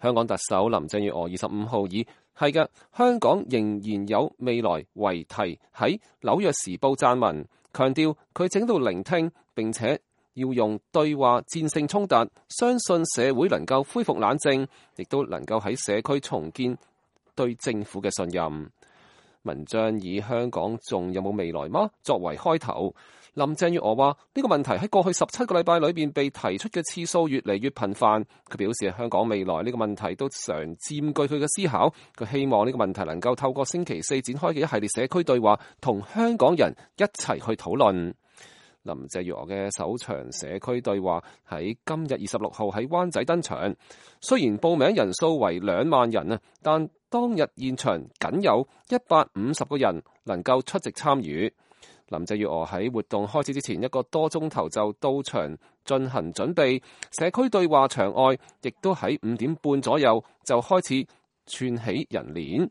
香港特首林鄭月娥25號以係嘅，香港仍然有未來為題喺紐約時報撰文，強調佢正喺度聆聽，並且要用對話戰勝衝突，相信社會能夠恢復冷靜，亦都能夠喺社區重建對政府嘅信任。文章以香港仲有冇未來嗎作為開頭，林鄭月娥話呢個問題喺過去17個禮拜裏邊被提出嘅次數越嚟越頻繁。佢表示香港未來呢個問題都常佔據佢嘅思考。佢希望呢個問題能夠透過星期四展開嘅一系列社區對話，同香港人一齊去討論。林鄭月娥嘅首場社區對話喺今日26號喺灣仔登場。雖然報名人數為2萬人啊，但當日現場僅有150個人能夠出席參與。林鄭月娥喺活動開始之前1個多鐘頭就到場進行準備，社區對話場外亦都喺5點半左右就開始串起人鏈。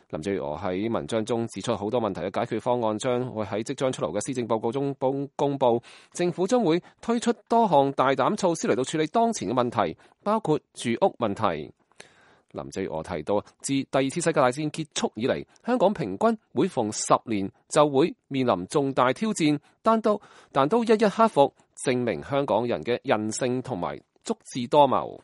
林鄭月娥喺文章中指出，好多問題嘅解決方案將會喺即將出爐嘅施政報告中公布，政府將會推出多項大膽措施嚟到處理當前嘅問題，包括住屋問題。林鄭月娥提到，自第2次世界大戰結束以嚟，香港平均每逢10年就會面臨重大挑戰，但都一一克服，證明香港人嘅韌性同埋足智多謀。